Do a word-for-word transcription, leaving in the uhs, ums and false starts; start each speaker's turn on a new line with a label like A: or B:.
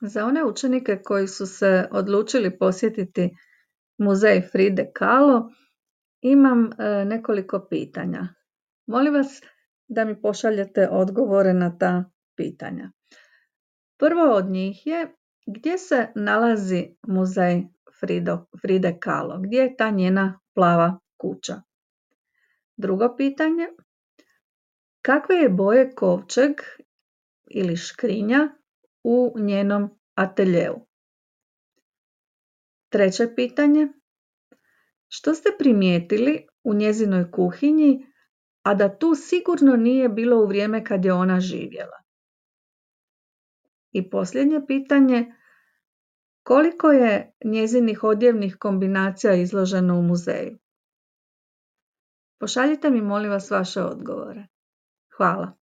A: Za one učenike koji su se odlučili posjetiti muzej Fride Kahlo, imam e, nekoliko pitanja. Molim vas da mi pošaljete odgovore na ta pitanja. Prvo od njih je gdje se nalazi muzej Frido, Fride Kahlo, gdje je ta njena plava kuća. Drugo pitanje, kakve je boje kovčeg ili škrinja u njenom ateljeu? Treće pitanje, što ste primijetili u njezinoj kuhinji, a da tu sigurno nije bilo u vrijeme kad je ona živjela? I posljednje pitanje, koliko je njezinih odjevnih kombinacija izloženo u muzeju? Pošaljite mi molim vas vaše odgovore. Hvala.